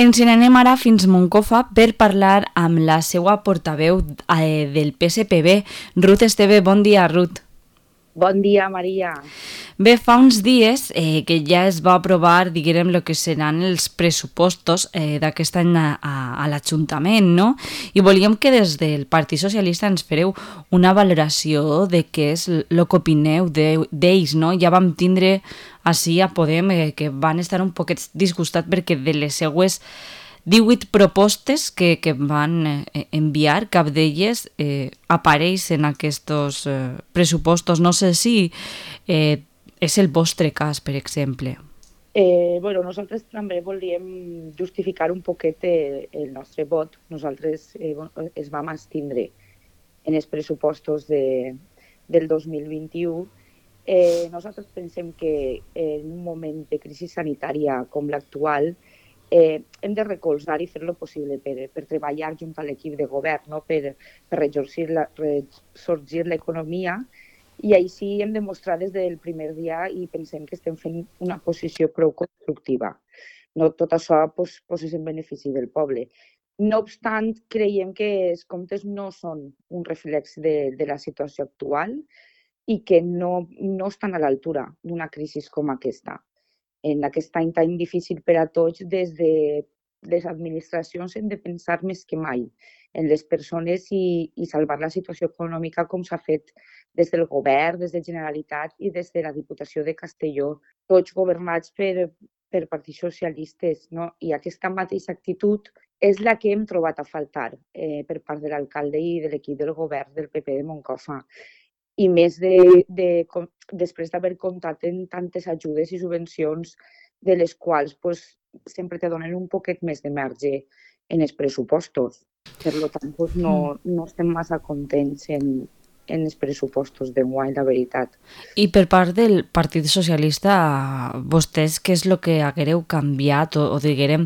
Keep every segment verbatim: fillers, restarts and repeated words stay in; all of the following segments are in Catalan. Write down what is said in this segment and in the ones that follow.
Ens n'anem ara fins Moncofa per parlar amb la seva portaveu eh, del P S P B, Ruth Esteve. Bon dia, Ruth. Bon dia, Maria. Bé, fa uns dies eh, que ja es va aprovar, diguem, el que seran els pressupostos eh, d'aquest any a, a, a l'Ajuntament, no? I volíem que des del Partit Socialista ens fareu una valoració de què és el que opineu d'ells, no? Ja vam tindre així a Podem eh, que van estar un poquet disgustats perquè de les seues divuit propostes que, que van eh, enviar, cap d'elles eh, apareix en aquests eh, pressupostos. No sé si eh, és el vostre cas, per exemple. Eh, bueno, nosaltres també volíem justificar un poquet eh, el nostre vot. Nosaltres eh, es vam abstindre en els pressupostos de, del dos mil vint-i-u. Eh, nosaltres pensem que en un moment de crisi sanitària com l'actual eh, hem de recolzar i fer lo possible per, per treballar junt a l'equip de govern, no? per, per ressorgir l'economia, i així hem demostrat des del primer dia i pensem que estem fent una posició prou constructiva. No tot això pues, pues és en benefici del poble. No obstant, creiem que els comptes no són un reflex de, de la situació actual i que no, no estan a l'altura d'una crisi com aquesta. En aquest any tan difícil per a tots, des de les administracions hem de pensar més que mai en les persones i, i salvar la situació econòmica com s'ha fet des del govern, des de Generalitat i des de la Diputació de Castelló, tots governats per, per partits socialistes, no? I aquesta mateixa actitud és la que hem trobat a faltar eh, per part de l'alcalde i de l'equip del govern del P P de Moncofa. I més de, de, després d'haver comptat en tantes ajudes i subvencions de les quals pues, sempre te donen un poquet més de marge en els pressupostos. Per tant, pues, no, no estem massa contents en, en els pressupostos d'enguany, la veritat. I per part del Partit Socialista, vostès què és el que haguereu canviat o, o diguem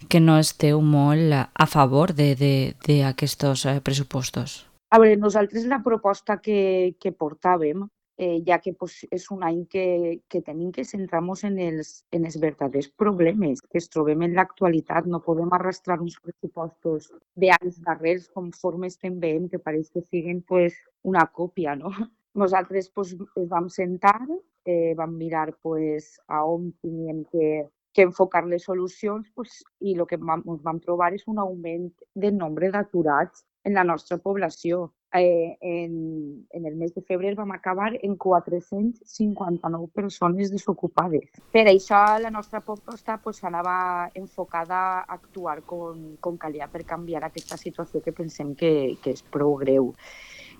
que no esteu molt a favor d'aquests pressupostos? A veure, nosaltres la proposta que, que portàvem, eh, ja que pues, és un any que, que tenim que centrar-nos en els, en els verdaders problemes que es trobem en l'actualitat. No podem arrastrar uns pressupostos d'anys darrers conforme estem veient, que pareix que siguin pues, una còpia, no? Nosaltres pues, ens vam sentar, eh, vam mirar pues, a on teníem que, que enfocar les solucions pues, i el que vam, ens vam trobar és un augment del nombre d'aturats en la nostra població. Eh, en, en el mes de febrer vam acabar en quatre-cents cinquanta-nou persones desocupades. Per això la nostra proposta pues, anava enfocada a actuar com, com calia per canviar aquesta situació que pensem que, que és prou greu.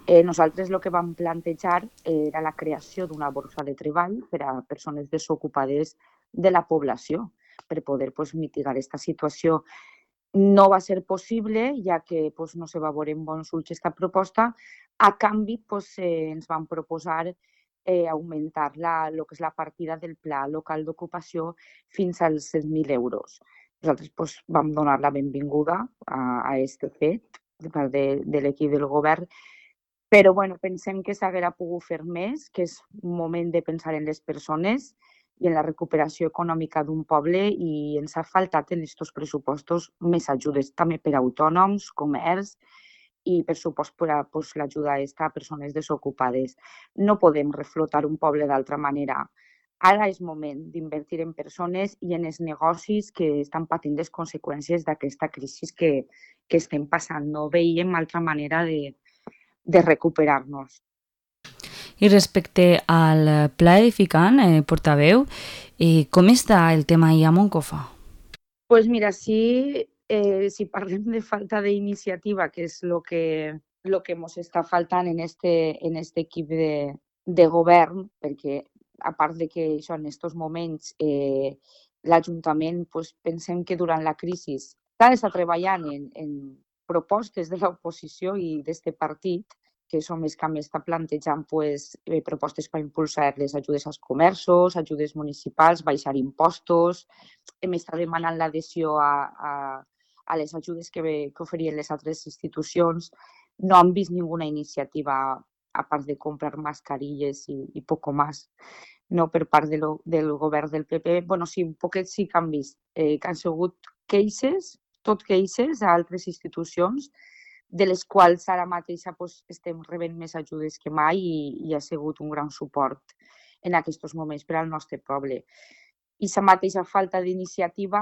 Eh, nosaltres el que vam plantejar era la creació d'una borsa de treball per a persones desocupades de la població per poder pues, mitigar aquesta situació. No va ser possible, ja que pues, no se va veure en bons ulls aquesta proposta. A canvi, pues, eh, ens van proposar eh, augmentar la, lo que és la partida del Pla Local d'Ocupació fins als set mil euros. Nosaltres pues, vam donar la benvinguda a aquest fet de part de, de l'equip del govern, però bueno, pensem que s'haguera pogut fer més, que és un moment de pensar en les persones i en la recuperació econòmica d'un poble, i ens ha faltat en aquests pressupostos més ajudes també per a autònoms, comerç i per supost per a pues, l'ajuda a persones desocupades. No podem reflotar un poble d'altra manera. Ara és moment d'invertir en persones i en els negocis que estan patint les conseqüències d'aquesta crisi que, que estem passant. No veiem altra manera de, de recuperar-nos. I respecte al pla edificant, eh, portaveu, eh, com està el tema ahí a Moncofa? Pues mira, sí, eh, si parlem de falta d'iniciativa, que és el que, lo que ens està faltant en este, en este equip de, de govern, perquè a part de que això en aquests moments eh, l'Ajuntament pues, pensem que durant la crisi s'ha d'estar treballant en, en propostes de l'oposició i d'aquest partit, que som els que més està plantejant pues, eh, propostes per impulsar les ajudes als comerços, ajudes municipals, baixar impostos. Hem estat demanant l'adhesió a, a, a les ajudes que, que oferien les altres institucions. No han vist ninguna iniciativa a part de comprar mascarilles i, i poco más, no per part de lo, del govern del P P. Bueno, sí, un poquet sí que han vist, eh, que han sigut queixes, tot queixes a altres institucions, de les quals ara mateix pues, estem rebent més ajudes que mai i, i ha sigut un gran suport en aquests moments per al nostre poble. I la mateixa falta d'iniciativa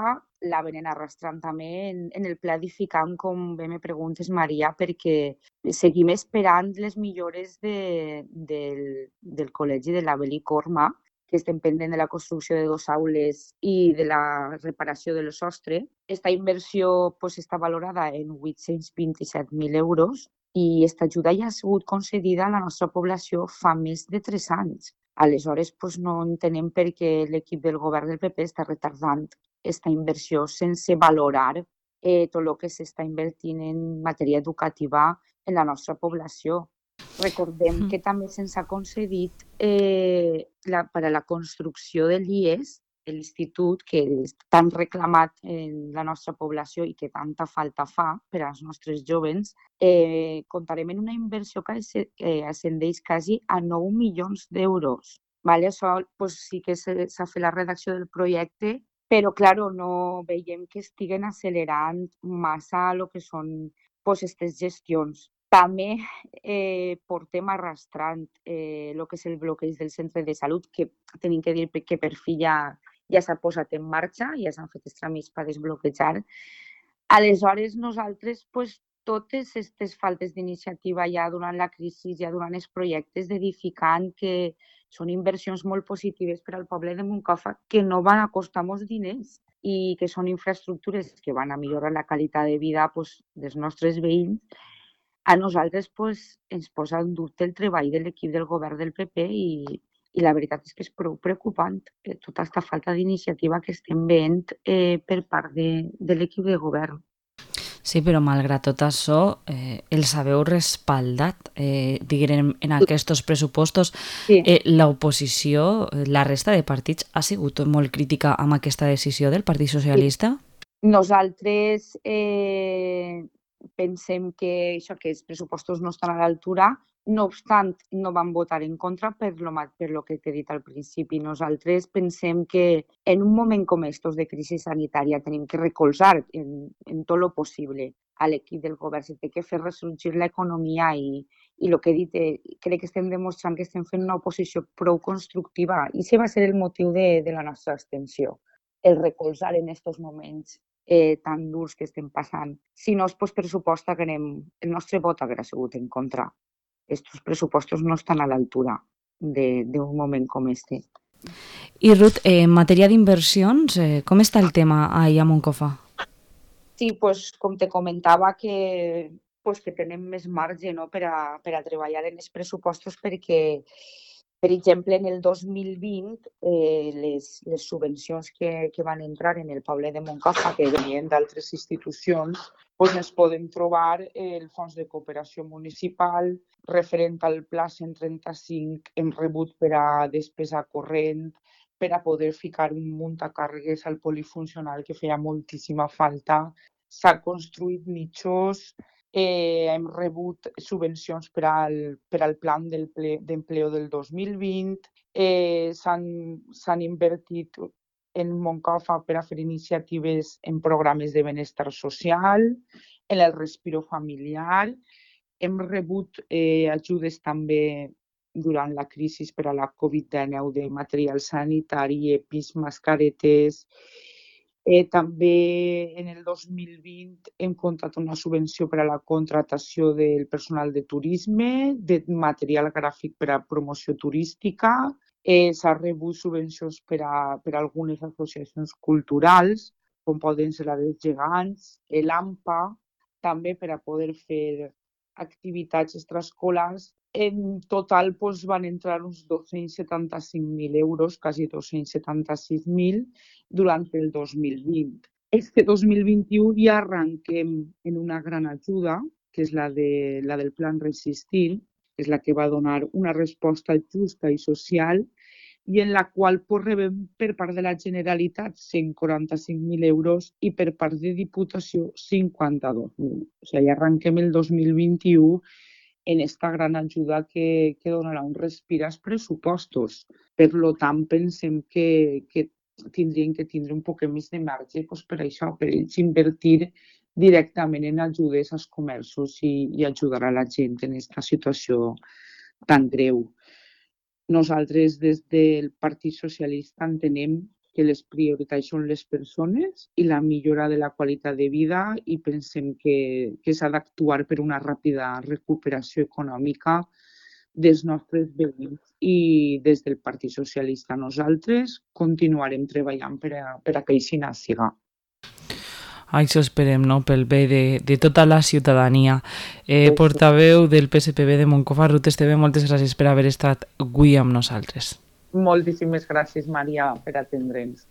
la venen arrastrant també en, en el pla edificant, com bé me preguntes, Maria, perquè seguim esperant les millores de, del, del Col·legi de la Bel·licorma, que estem pendent de la construcció de dues aules i de la reparació del sostre. Aquesta inversió pues, està valorada en vuit-cents vint-i-set mil euros i aquesta ajuda ja ha sigut concedida a la nostra població fa més de tres anys. Aleshores, pues, no entenem per què l'equip del govern del P P està retardant aquesta inversió sense valorar eh, tot el que s'està invertint en matèria educativa en la nostra població. Recordem que també se'ns ha concedit eh, la, per a la construcció de l'I E S, l'institut que és tan reclamat en la nostra població i que tanta falta fa per als nostres jovens, eh, comptarem en una inversió que eh, ascendeix quasi a nou milions d'euros. Vale? Això pues, sí que s'ha fet la redacció del projecte, però claro, no veiem que estiguen accelerant massa el que són pues, aquestes gestions. També eh, portem arrastrant eh, el que és el bloqueig del centre de salut, que tenim que dir que per fi ja, ja s'ha posat en marxa, ja s'han fet els tràmits per desbloquejar. Aleshores, nosaltres, pues, totes aquestes faltes d'iniciativa ja durant la crisi, ja durant els projectes d'edificant, que són inversions molt positives per al poble de Moncofa, que no van a costar molts diners i que són infraestructures que van a millorar la qualitat de vida pues, dels nostres veïns, a nosaltres pues, ens posa en dubte el treball de l'equip del govern del P P i, i la veritat és que és prou preocupant eh, tota aquesta falta d'iniciativa que estem veient eh, per part de, de l'equip de govern. Sí, però malgrat tot això, eh, els haveu respaldat, eh, diguem, en aquests pressupostos. Sí. Eh, l'oposició, la resta de partits, ha sigut molt crítica amb aquesta decisió del Partit Socialista? Sí. Nosaltres eh, pensem que això que els pressupostos no estan a l'altura, no obstant, no vam votar en contra per lo, per lo que t'he dit al principi. Nosaltres pensem que en un moment com estos de crisi sanitària tenim que recolzar en, en tot lo possible a l'equip del govern. Se té que fer ressorgir l'economia i, i el que he dit, eh, crec que estem demostrant que estem fent una oposició prou constructiva i això va ser el motiu de, de la nostra abstenció, el recolzar en aquests moments eh, tan durs que estem passant. Si no, pues, per supost, anem, el nostre vot haguera sigut en contra. Estos pressupostos no estan a l'altura d'un moment com este. I Ruth, eh, en matèria d'inversions, eh, com està el tema ahí a Moncofa? Sí, pues, com te comentava, que, pues, que tenem més marge no, per, a, per a treballar en els pressupostos perquè, per exemple, en el dos mil vint, eh, les, les subvencions que, que van entrar en el poble de Moncofa, que venien d'altres institucions, pues, es poden trobar el Fons de Cooperació Municipal, referent al Pla cent trenta-cinc, hem rebut per a despesa corrent, per a poder ficar un muntacàrregues al polifuncional que feia moltíssima falta. S'ha construït mitjos, eh, hem rebut subvencions per al, per al plan d'empleo del dos mil vint, eh, s'han invertit en Moncofa per a fer iniciatives en programes de benestar social, en el respiro familiar. Hem rebut eh, ajudes també durant la crisi per a la covid dinou de material sanitari, EPIs, mascaretes. Eh, també en el dos mil vint hem comptat una subvenció per a la contratació del personal de turisme, de material gràfic per a promoció turística. Eh, S'ha rebut subvencions per a, per a algunes associacions culturals, com poden ser la dels gegants, l'AMPA, també per a poder fer activitats extraescolars. En total doncs, van entrar uns dos-cents setanta-cinc mil euros, quasi dos-cents setanta-sis mil, durant el dos mil vint. Este dos mil vint-i-u ja arranquem en una gran ajuda, que és la, de, la del Plan Resistir, que és la que va donar una resposta justa i social, i en la qual pues, rebem per part de la Generalitat cent quaranta-cinc mil euros i per part de Diputació cinquanta-dos mil. O sigui, ja arrenquem el dos mil vint-i-u en esta gran ajuda que, que donarà un respir als pressupostos. Per lo tant, pensem que, que tindrien que tindre un poc més de marge doncs, per això, per ells invertir directament en ajudes als comerços i, i ajudar a la gent en aquesta situació tan greu. Nosaltres des del Partit Socialista entenem que les prioritats són les persones i la millora de la qualitat de vida i pensem que, que s'ha d'actuar per una ràpida recuperació econòmica dels nostres veïns i des del Partit Socialista nosaltres continuarem treballant per a, per a que així siga. Això esperem, no?, pel bé de, de tota la ciutadania. Eh, portaveu del P S P B de Moncofa, Ruth Esteve, moltes gràcies per haver estat avui amb nosaltres. Moltíssimes gràcies, Maria, per atendre'ns.